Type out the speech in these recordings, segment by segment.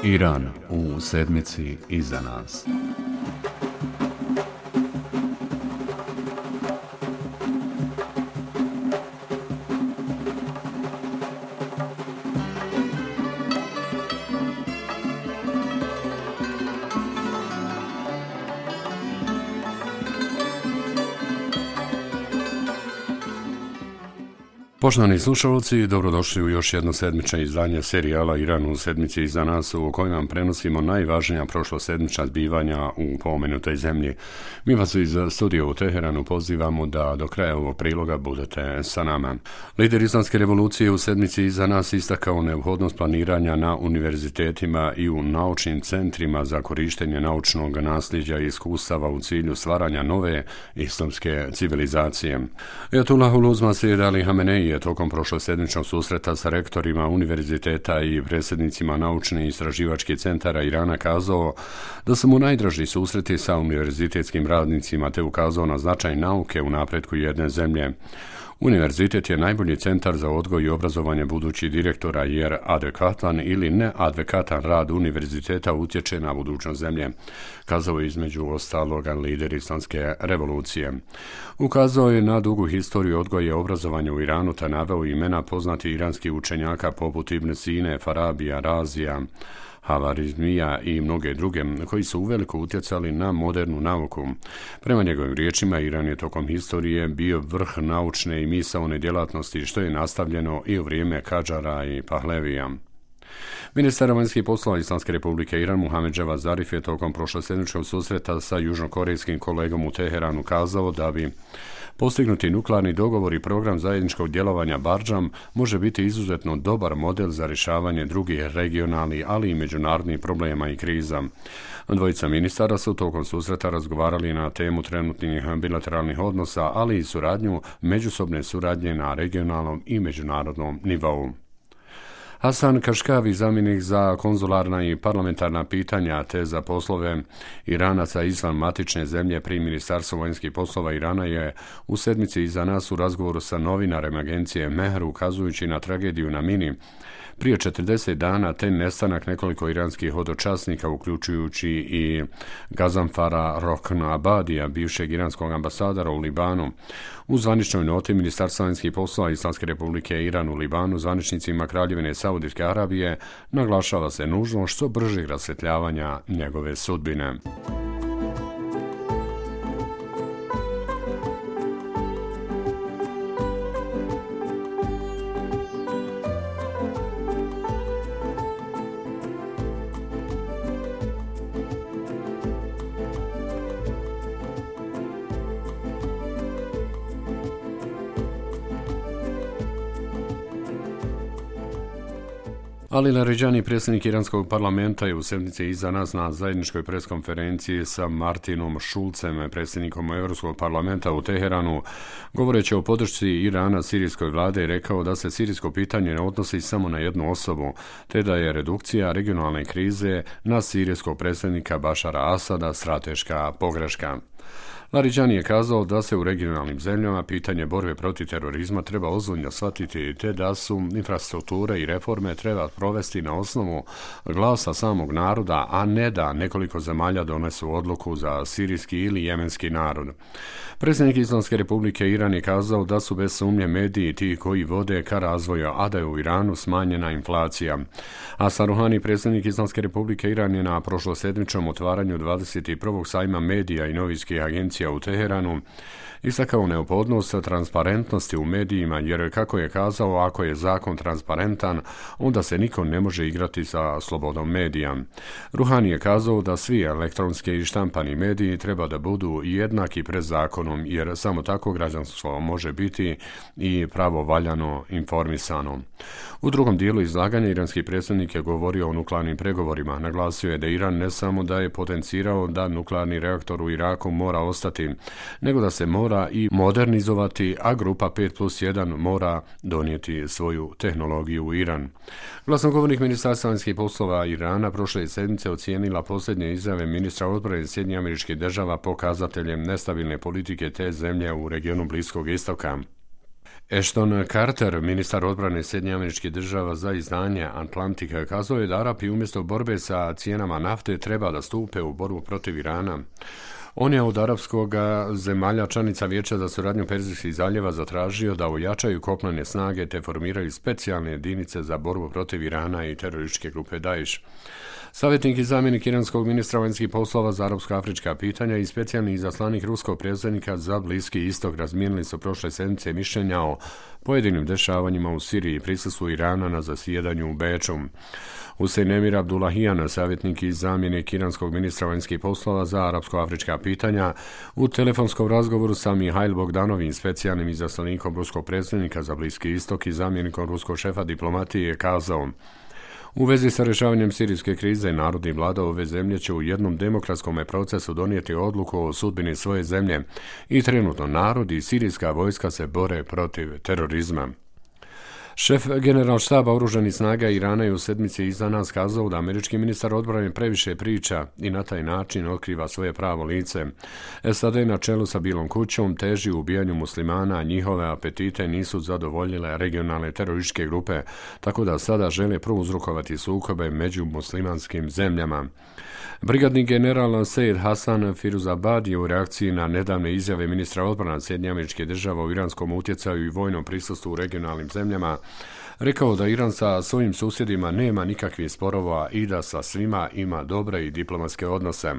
Iran u sedmici iza nas. Poštovani slušalci, dobrodošli u još jedno sedmično izdanje serijala Iran u sedmici iza nas, u kojem vam prenosimo najvažnija prošlosedmična zbivanja u pomenutoj zemlji. Mi vas iz studija u Teheranu pozivamo da do kraja ovog priloga budete sa nama. Lider islamske revolucije u sedmici iza nas istakao neophodnost planiranja na univerzitetima i u naučnim centrima za korištenje naučnog nasljeđa i iskustava u cilju stvaranja nove islamske civilizacije. Ajatullahul Uzma Sejid Ali Hamenei je tokom prošlosedmičnog susreta sa rektorima univerziteta i predsjednicima naučnih i istraživačkih centara Irana kazao da su mu najdraži susreti sa univerzitetskim radnicima te ukazao na značaj nauke u napretku jedne zemlje. Univerzitet je najbolji centar za odgoj i obrazovanje budućih direktora jer adekvatan ili neadekvatan rad univerziteta utječe na budućnost zemlje, kazao je između ostaloga lider islamske revolucije. Ukazao je na dugu historiju odgoja i obrazovanja u Iranu te naveo imena poznatih iranskih učenjaka poput Ibn Sine, Farabija, Razija, Havarizmija i mnoge druge, koji su uveliko utjecali na modernu nauku. Prema njegovim riječima, Iran je tokom historije bio vrh naučne i misaone djelatnosti, što je nastavljeno i u vrijeme Kadžara i Pahlevija. Ministar vanjskih poslova Islamske republike Iran Muhammad Javad Zarif je tokom prošlosedmičkog susreta sa južnokorejskim kolegom u Teheranu kazao da bi postignuti nuklearni dogovor i program zajedničkog djelovanja Bardžam može biti izuzetno dobar model za rješavanje drugih regionalnih, ali i međunarodnih problema i kriza. Dvojica ministara su tokom susreta razgovarali na temu trenutnih bilateralnih odnosa, ali i međusobne suradnje na regionalnom i međunarodnom nivou. Hasan Kaškavi, zamjenik za konzularna i parlamentarna pitanja te za poslove Iranaca izvan matične zemlje pri Ministarstvu vanjskih poslova Irana, je u sedmici iza nas u razgovoru sa novinarem agencije Mehr ukazujući na tragediju na Mini prije 40 dana te nestanak nekoliko iranskih hodočasnika uključujući i Gazanfara Roknabadija, bivšeg iranskog ambasadora u Libanu. U zvaničnoj noti Ministarstva vanjskih poslova Islamske republike Iran u Libanu zvaničnicima Kraljevine Saudijske Arabije naglašava se nužnost što bržeg rasvjetljavanja njegove sudbine. Ali Laridžani, predsjednik iranskog parlamenta, je u sedmici iza nas na zajedničkoj preskonferenciji sa Martinom Šulcem, predsjednikom Europskog parlamenta u Teheranu, govoreći o podršci Irana sirijskoj vlade, rekao da se sirijsko pitanje ne odnosi samo na jednu osobu, te da je redukcija regionalne krize na sirijskog predsjednika Bašara Asada strateška pogreška. Laridžani je kazao da se u regionalnim zemljama pitanje borbe protiv terorizma treba ozbiljno shvatiti te da su infrastrukture i reforme treba provesti na osnovu glasa samog naroda, a ne da nekoliko zemalja donesu odluku za sirijski ili jemenski narod. Predsjednik Islamske republike Iran je kazao da su bez sumnje mediji ti koji vode ka razvoju, a da je u Iranu smanjena inflacija. Hasan Ruhani, predsjednik Islamske republike Iran, je na prošlosedmičnom otvaranju 21. sajma medija i novinskih agencija u Teheranu istakao neophodnost transparentnosti u medijima jer, kako je kazao, ako je zakon transparentan, onda se niko ne može igrati sa slobodom medija. Ruhani je kazao da svi elektronski i štampani mediji treba da budu jednaki pred zakonom jer samo tako građanstvo može biti i pravovaljano informisano. U drugom dijelu izlaganja iranski predsjednik je govorio o nuklearnim pregovorima. Naglasio je da Iran ne samo da je potencirao da nuklearni reaktor u Iraku mora ostati, nego da se mora i modernizovati, a grupa 5+1 mora donijeti svoju tehnologiju u Iran. Glasnogovornik Ministarstva vanjskih poslova Irana prošle sedmice ocijenila posljednje izjave ministra odbrane Sjedinjenih Američkih Država pokazateljem nestabilne politike te zemlje u regionu Bliskog istoka. Ashton Carter, ministar odbrane Sjedinjenih Američkih Država za izdanje Atlantic, kazao je da Arapi umjesto borbe sa cijenama nafte treba da stupe u borbu protiv Irana. On je od arapskog zemalja članica Vijeća za suradnju Perzijskih zaljeva zatražio da ojačaju kopnene snage te formiraju specijalne jedinice za borbu protiv Irana i terorističke grupe Daesh. Savjetnik i zamjenik iranskog ministra vanjskih poslova za arapsko-afrička pitanja i specijalni izaslanik ruskog predstavnika za Bliski istok razmijenili su prošle sedmice mišljenja o pojedinim dešavanjima u Siriji i prisustvu Irana na zasjedanju u Beču. Hussein Emir Abdullahian, savjetnik i zamjenik iranskog ministra vanjskih poslova za arapsko-afrička pitanja, u telefonskom razgovoru sa Mihail Bogdanovim, specijalnim izaslanikom ruskog predstavnika za Bliski istok i zamjenikom ruskog šefa diplomatije, je kazao: u vezi sa rješavanjem sirijske krize, narod i vlada ove zemlje će u jednom demokratskom procesu donijeti odluku o sudbini svoje zemlje i trenutno narod i sirijska vojska se bore protiv terorizma. Šef generalštaba oružanih snaga Irana je u sedmici iza nas kazao da američki ministar odbrane previše priča i na taj način otkriva svoje pravo lice. SAD na čelu sa Bilom kućom teži u ubijanju muslimana, a njihove apetite nisu zadovoljile regionalne terorističke grupe, tako da sada žele prouzrokovati sukobe među muslimanskim zemljama. Brigadni general Seyyed Hasan Firuzabad je u reakciji na nedavne izjave ministra odbrane Sjedinjenih Američkih Država u iranskom utjecaju i vojnom prisustvu u regionalnim zemljama rekao da Iran sa svojim susjedima nema nikakvih sporova i da sa svima ima dobre i diplomatske odnose.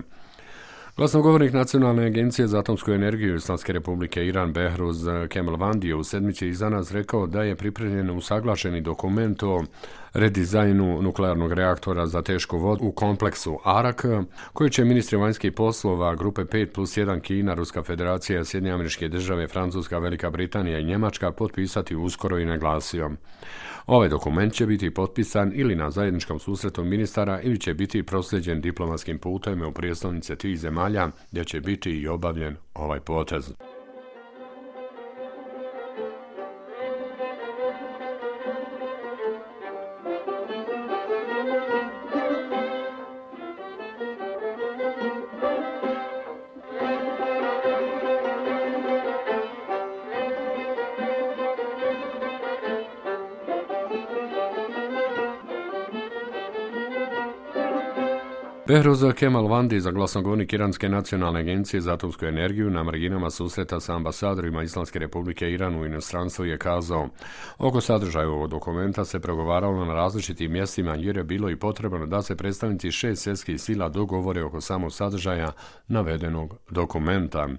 Glasnogovornik Nacionalne agencije za atomsku energiju Islamske republike Iran Behruz Kemalvandi je u sedmici iza nas rekao da je pripremljen usaglašeni dokument o redizajnu nuklearnog reaktora za tešku vodu u kompleksu Arak, koji će ministri vanjskih poslova grupe 5+1 Kina, Ruska federacija, Sjedinjene Američke Države, Francuska, Velika Britanija i Njemačka potpisati uskoro i naglasio: ovaj dokument će biti potpisan ili na zajedničkom susretu ministara ili će biti prosljeđen diplomatskim putem u prijestolnice tih zemalja, gdje će biti i obavljen ovaj potez. Behruz Kemalvandi, za glasnogovornik Iranske nacionalne agencije za atomsku energiju, na marginama susreta sa ambasadorima Islamske republike Iran u inostranstvu je kazao: oko sadržaja ovog dokumenta se pregovaralo na različitim mjestima jer je bilo i potrebno da se predstavnici 6 svjetskih sila dogovore oko samog sadržaja navedenog dokumenta.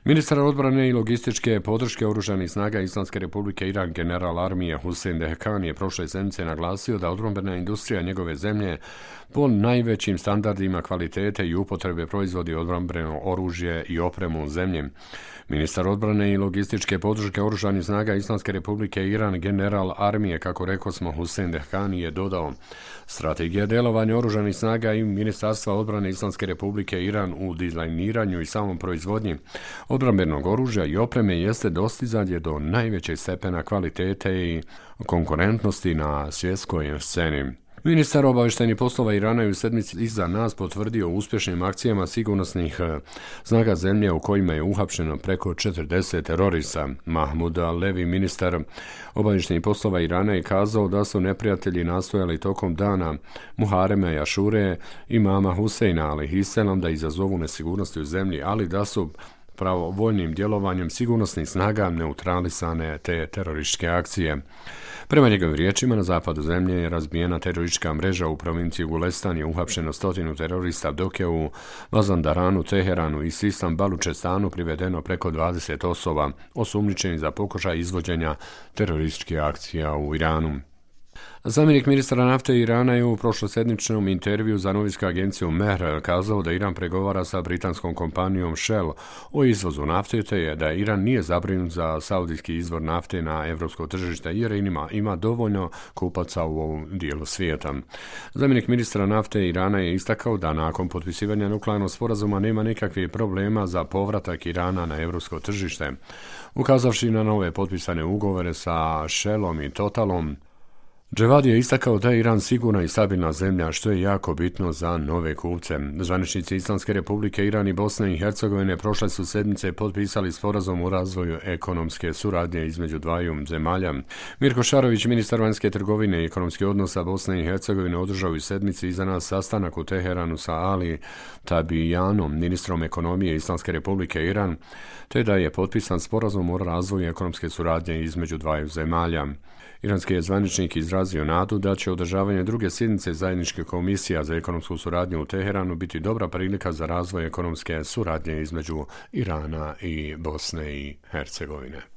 Ministar odbrane i logističke podrške oružanih snaga Islamske republike Iran general armije Hussein Dehkan je prošle sedmice naglasio da odbrambena industrija njegove zemlje po najvećim standardima kvalitete i upotrebe proizvodi odbrambeno oružje i opremu u zemlji. Ministar odbrane i logističke podrške oružanih snaga Islamske republike Iran general armije, kako rekao smo, Hussein Dehkani je dodao: strategija djelovanja oružanih snaga i Ministarstva odbrane Islamske republike Iran u dizajniranju i samom proizvodnji odbrambenog oružja i opreme jeste dostizanje do najvećeg stepena kvalitete i konkurentnosti na svjetskoj sceni. Ministar obavještajnih poslova Irana je u sedmici iza nas potvrdio uspješnim akcijama sigurnosnih snaga zemlje u kojima je uhapšeno preko 40 terorista. Mahmud Alevi, ministar obavještajnih poslova Irana, je kazao da su neprijatelji nastojali tokom dana Muharema i Ašure imama Huseina alejhiselam da izazovu nesigurnosti u zemlji, ali da su pravovojnim djelovanjem sigurnosnih snaga neutralisane te terorističke akcije. Prema njegovim riječima, na zapadu zemlje je razbijena teroristička mreža u provinciji Gulestan, je uhapšeno 100 terorista, dok je u Mazandaranu, Teheranu i Sistan Balučestanu privedeno preko 20 osoba osumnjičenih za pokušaj izvođenja terorističkih akcija u Iranu. Zamjenik ministra nafte Irana je u prošlosedmičnom intervju za novinsku agenciju Mehr kazao da Iran pregovara sa britanskom kompanijom Shell o izvozu nafte, te je da Iran nije zabrinut za saudijski izvor nafte na evropsko tržište jer ima dovoljno kupaca u ovom dijelu svijeta. Zamjenik ministra nafte Irana je istakao da nakon potpisivanja nuklearnog sporazuma nema nikakvih problema za povratak Irana na evropsko tržište, ukazavši na nove potpisane ugovore sa Shellom i Totalom. Dževad je istakao da je Iran sigurna i stabilna zemlja, što je jako bitno za nove kupce. Zvaničnici Islamske republike Iran i Bosne i Hercegovine prošle su sedmice potpisali sporazum o razvoju ekonomske suradnje između dvaju zemalja. Mirko Šarović, ministar vanjske trgovine i ekonomskih odnosa Bosne i Hercegovine, održao u sedmici iza nas sastanak u Teheranu sa Ali Tabijanom, ministrom ekonomije Islamske republike Iran, te da je potpisan sporazum o razvoju ekonomske suradnje između dvaju zemalja. Iranski je zvaničnik izrazio nadu da će održavanje druge sjednice zajedničke komisija za ekonomsku suradnju u Teheranu biti dobra prilika za razvoj ekonomske suradnje između Irana i Bosne i Hercegovine.